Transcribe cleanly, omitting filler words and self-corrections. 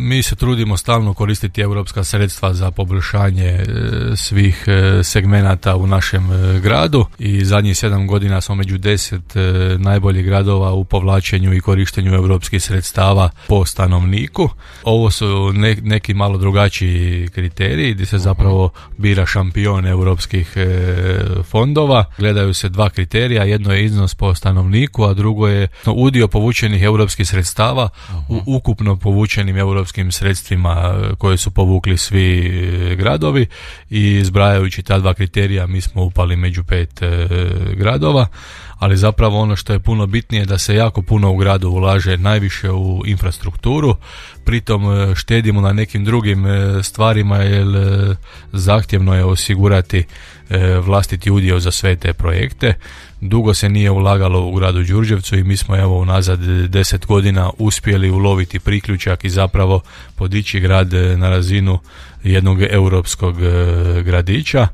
Mi se trudimo stalno koristiti europska sredstva za poboljšanje svih segmenata u našem gradu i zadnjih 7 godina smo među 10 najboljih gradova u povlačenju i korištenju europskih sredstava po stanovniku. Ovo su neki malo drugačiji kriteriji gdje se zapravo bira šampion europskih fondova. Gledaju se dva kriterija, jedno je iznos po stanovniku, a drugo je udio povučenih europskih sredstava u ukupno povučenim europskim sredstvima koje su povukli svi gradovi i zbrajajući ta dva kriterija mi smo upali među 5 gradova, ali zapravo ono što je puno bitnije da se jako puno u gradu ulaže najviše u infrastrukturu, pritom štedimo na nekim drugim stvarima jer zahtjevno je osigurati vlastiti udio za sve te projekte. Dugo se nije ulagalo u gradu Đurđevcu i mi smo evo unazad 10 godina uspjeli uloviti priključak i zapravo podići grad na razinu jednog europskog gradića.